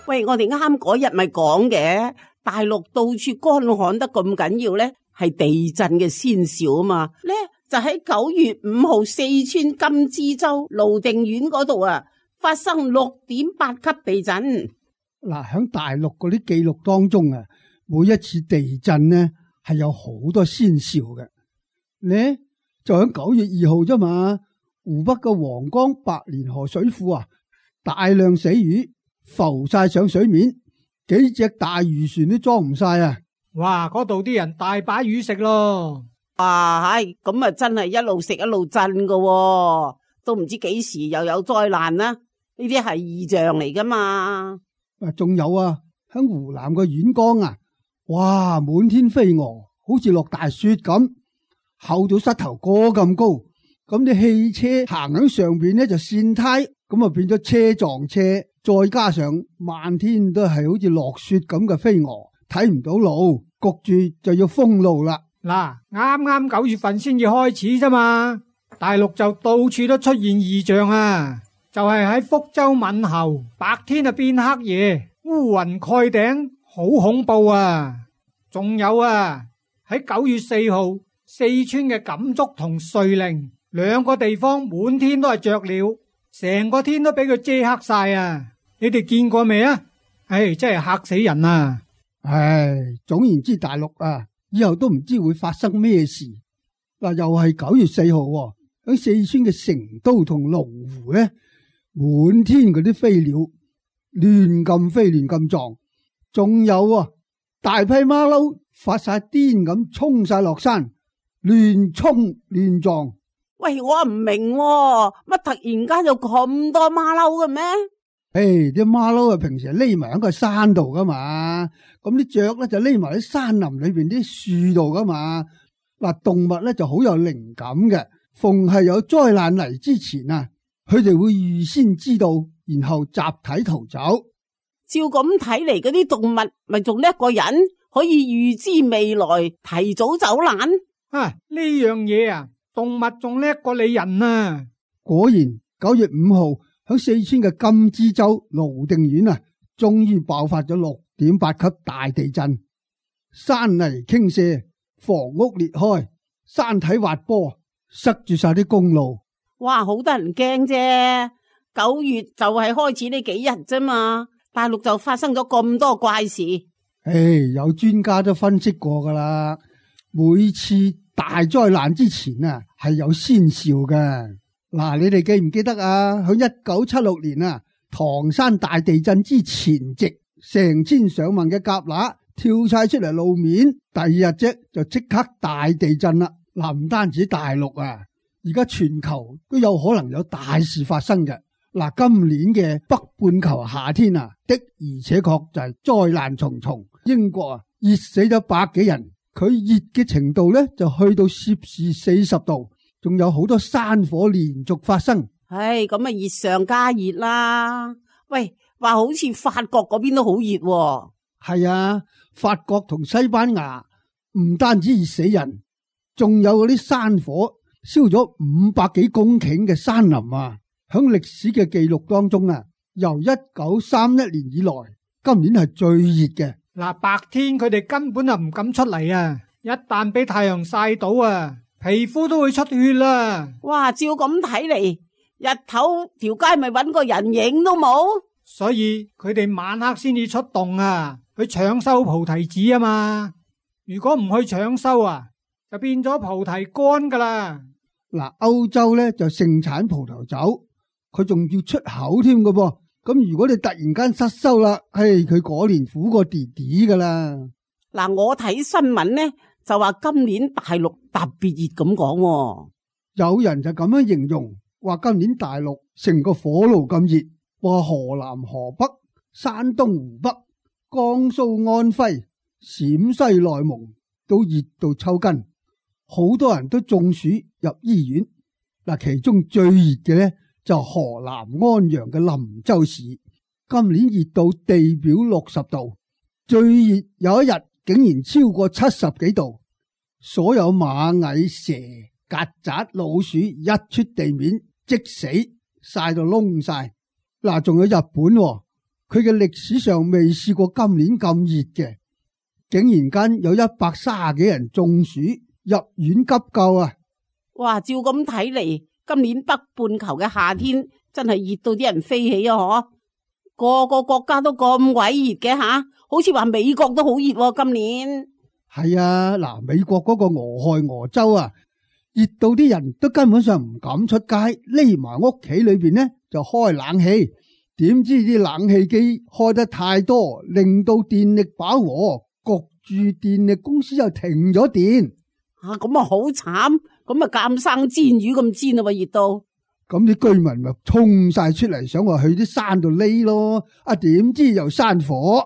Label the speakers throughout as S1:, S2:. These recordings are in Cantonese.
S1: 喂，我哋啱嗰日咪講嘅，大陸到處乾旱得咁緊要咧，係地震嘅先兆啊嘛。咧就喺9月5號，四川金枝洲瀘定縣嗰度啊，發生6.8級地震。
S2: 嗱，喺大陸嗰啲記錄當中啊，每一次地震呢係有好多先兆嘅。呢就喺9月2號啫嘛，湖北嘅黃岡白蓮河水庫啊，大量死魚浮晒上水面，幾隻大漁船都裝唔晒啊！
S3: 哇，嗰度啲人大把魚食咯。
S1: 哇，係咁啊，真係一路食一路震噶喎，都唔知幾時又有災難啦。呢啲係異象嚟噶嘛。
S2: 仲有啊，喺湖南嘅沅江啊，哇，滿天飛蛾，好似落大雪咁，厚到膝頭哥咁高。咁啲汽車行喺上邊呢就跣胎，咁啊變咗車撞車，再加上漫天都係好似落雪咁嘅飛蛾，睇唔到路，焗住就要封路啦。
S3: 嗱，啱啱9月份先至開始啫嘛，大陸就到處都出現異象啊！就係喺福州閩侯，白天啊變黑夜，烏雲蓋頂，好恐怖啊！仲有啊，喺9月4號，四川嘅錦竹同遂寧兩個地方滿天都係雀鳥，成個天都俾佢遮黑晒啊！你哋見過未啊？唉，真係嚇死人啊！
S2: 唉，總言之，大陸啊，以後都唔知會發生咩事。嗱，又係9月4號喺四川嘅成都同龍湖呢，滿天嗰啲飛鳥亂咁飛亂咁撞，仲有啊大批馬騮發晒癲咁衝晒落山，亂衝亂撞。
S1: 喂，我唔明喎，乜突然間有咁多馬騮嘅咩？
S2: 啲馬騮啊平時係匿埋喺個山度噶嘛，咁啲雀咧就匿埋喺山林裏邊啲樹度噶嘛。嗱，動物咧就好有靈感嘅，逢係有災難嚟之前啊，佢哋會預先知道，然後集體逃走。
S1: 照咁睇嚟，嗰啲動物咪仲叻過人，可以預知未來，提早走難。
S3: 呢樣嘢啊，動物仲叻過你人啊！
S2: 果然9月5號喺四川嘅金枝洲瀘定縣啊，終於爆發咗6.8級大地震，山泥傾瀉，房屋裂開，山體滑坡，塞住晒啲公路。
S1: 哇，好得人驚啫！9月就係開始呢幾日啫嘛，大陸就發生咗咁多怪事。
S2: 有專家都分析過噶啦，每次大災難之前啊，係有先兆嘅。嗱，你哋記唔記得啊？喺1976年啊，唐山大地震之前夕，成千上萬嘅蛤乸跳晒出嚟路面，第二日啫就即刻大地震啦。嗱，唔單止大陸啊，而家全球都有可能有大事發生嘅。嗱，今年嘅北半球夏天啊，的而且確就係災難重重。英國啊，熱死咗100幾人，佢熱嘅程度咧就去到攝氏40度。仲有好多山火連續發生，
S1: 咁啊熱上加熱啦。喂，話好似法國嗰邊都好熱喎。
S2: 係啊，法國同西班牙唔單止熱死人，仲有嗰啲山火燒咗500幾公頃嘅山林啊。響歷史嘅記錄當中啊，由1931年以來，今年係最熱嘅。
S3: 嗱，白天佢哋根本就唔敢出嚟啊，一旦俾太陽曬到啊，皮膚都會出血啦！
S1: 哇，照咁睇嚟，日頭條街咪搵個人影都冇，
S3: 所以佢哋晚黑先至出動啊，去搶收菩提子啊嘛。如果唔去搶收啊，就變咗菩提乾噶啦。
S2: 嗱，歐洲咧就盛產葡萄酒，佢仲要出口添噶噃。咁如果你突然間失收啦，佢嗰年苦過弟弟噶啦。
S1: 嗱，我睇新聞呢，就話今年大陸特別熱咁講，
S2: 有人就咁樣形容，話今年大陸成個火爐咁熱，話河南、河北、山東、湖北、江蘇、安徽、陝西、內蒙都熱到抽筋，好多人都中暑入醫院。嗱，其中最熱嘅呢，就河南安陽嘅林州市，今年熱到地表60度，最熱有一日竟然超過70幾度。所有螞蟻、蛇、曱甴、老鼠一出地面即死，曬到燶晒。嗱，仲有日本，佢嘅歷史上未試過今年咁熱嘅，竟然間有130幾人中暑入院急救啊！
S1: 哇，照咁睇嚟，今年北半球嘅夏天真係熱到啲人飛起啊！嗬，個個國家都咁鬼熱嘅吓，好似話美國都好熱喎，今年。
S2: 係啊，嗱，美國嗰個俄亥俄州啊，熱到啲人都根本上唔敢出街，匿埋屋企裏邊呢就開冷氣。點知啲冷氣機開得太多，令到電力飽和，焗住電力公司又停咗電。
S1: 啊，咁啊好慘，咁啊監生煎魚咁煎啊，熱到。
S2: 咁啲居民咪衝晒出嚟，想話去啲山度匿咯。啊，點知又山火。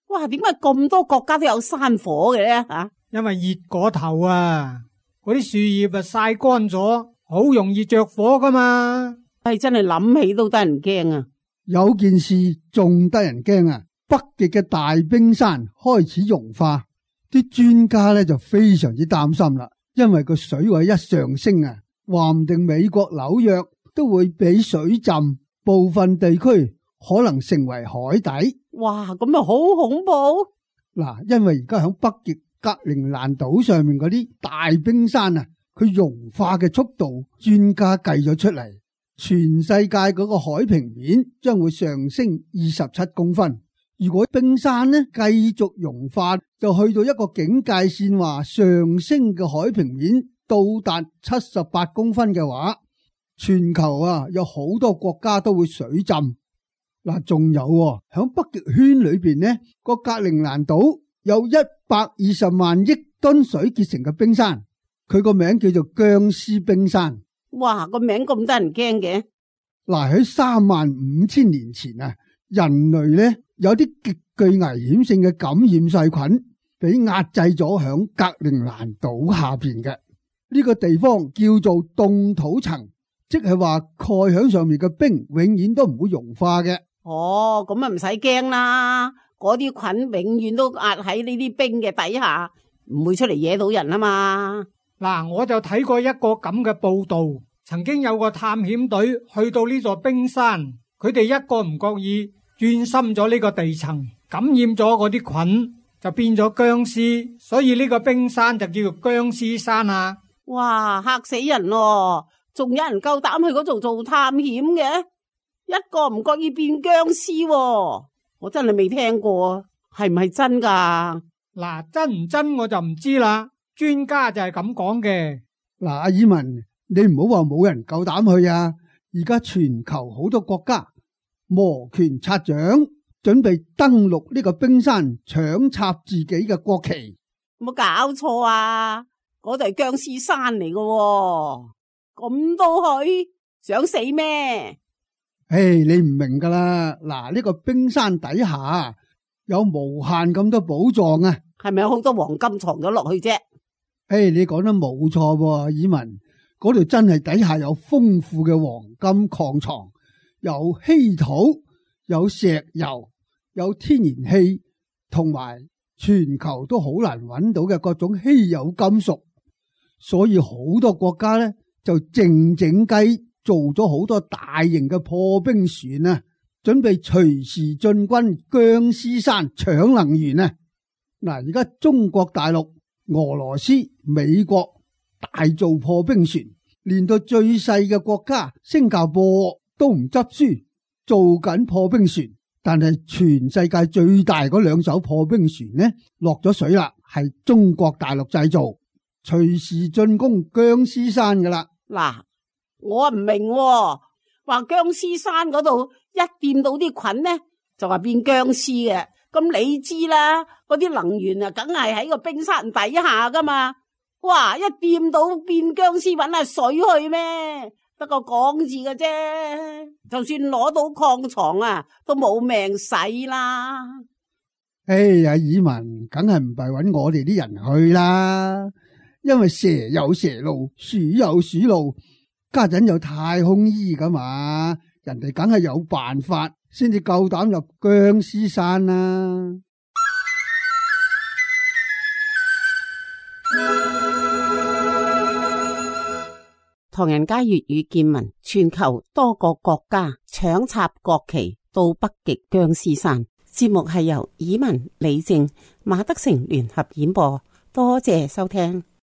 S1: 哇，點解咁多國家都有山火嘅咧？吓，
S3: 因為熱過頭啊，嗰啲樹葉啊曬乾咗，好容易着火噶嘛。
S1: 係真係諗起都得人驚啊！
S2: 有件事仲得人驚啊！北極嘅大冰山開始融化，啲專家咧就非常之擔心啦，因為個水位一上升啊，話唔定美國紐約都會俾水浸，部分地區可能成為海底。
S1: 哇，咁啊好恐怖！
S2: 嗱，因為而家喺北極格陵蘭島上面嗰啲大冰山啊，佢融化嘅速度，專家計咗出嚟。全世界嗰個海平面將會上升27公分。如果冰山呢繼續融化，就去到一個警戒線，話上升嘅海平面到達78公分嘅話，全球啊有好多國家都會水浸。嗱，仲有響北極圈裏邊呢個格陵蘭島有120萬億噸水結成嘅冰山，佢個名叫做僵屍冰山。
S1: 哇，個名咁得人驚嘅。
S2: 嗱，喺35000年前啊，人類呢有啲極具危險性嘅感染細菌俾壓制咗響格陵蘭島下邊嘅呢個地方叫做凍土層，即係話蓋響上面嘅冰永遠都唔會融化嘅。
S1: 哦，咁啊唔使驚啦，嗰啲菌永遠都壓喺呢啲冰嘅底下，唔會出嚟惹到人啊嘛。
S3: 嗱，我就睇過一個咁嘅報道，曾經有個探險隊去到呢座冰山，佢哋一個唔覺意鑽深咗呢個地層，感染咗嗰啲菌，就變咗僵屍，所以呢個冰山就叫做僵屍山啊！
S1: 哇，嚇死人咯！仲有人夠膽去嗰度做探險嘅？一個唔覺意變僵屍喎，我真係未聽過，係唔係真噶？
S3: 嗱，真唔真我就唔知啦。專家就係咁講嘅。
S2: 嗱，阿爾文，你唔好話冇人夠膽去啊！而家全球好多國家摩拳擦掌，準備登陸呢個冰山，搶插自己嘅國旗。
S1: 冇搞錯啊！嗰度係僵屍山嚟嘅，咁都去？想死咩？
S2: 你唔明噶啦！嗱，呢個冰山底下有無限咁多寶藏啊！
S1: 係咪有好多黃金藏咗落去啫？
S2: 你講得冇錯喎，爾文，嗰度真係底下有豐富嘅黃金礦藏，有稀土，有石油，有天然氣，同埋全球都好難揾到嘅各種稀有金屬，所以好多國家呢就靜靜雞做咗好多大型嘅破冰船啊，準備隨時進軍僵屍山搶能源啊！嗱，而家中國大陸、俄羅斯、美國大做破冰船，連到最細嘅國家新加坡都唔執輸，做緊破冰船。但係全世界最大嗰2艘破冰船呢，落咗水啦，係中國大陸製造，隨時進攻僵屍山噶啦。
S1: 嗱，我唔明喎，話僵屍山嗰度一掂到啲菌呢，就話變僵屍嘅。咁你知啦，嗰啲能源啊，梗係喺個冰山底下噶嘛。哇，一掂到變僵屍，搵下水去咩？得個講字嘅啫。就算攞到礦藏啊，都冇命使啦。
S2: 阿爾文，梗係唔係搵我哋啲人去啦，因為蛇有蛇路，鼠有鼠路，家陣有太空衣噶嘛，人哋梗係有辦法先至夠膽入僵屍山啦。
S1: 唐人街粵語見聞，全球多個國家搶插國旗，到北極僵屍山。節目係由以文、李靜、馬德成聯合演播，多謝收聽。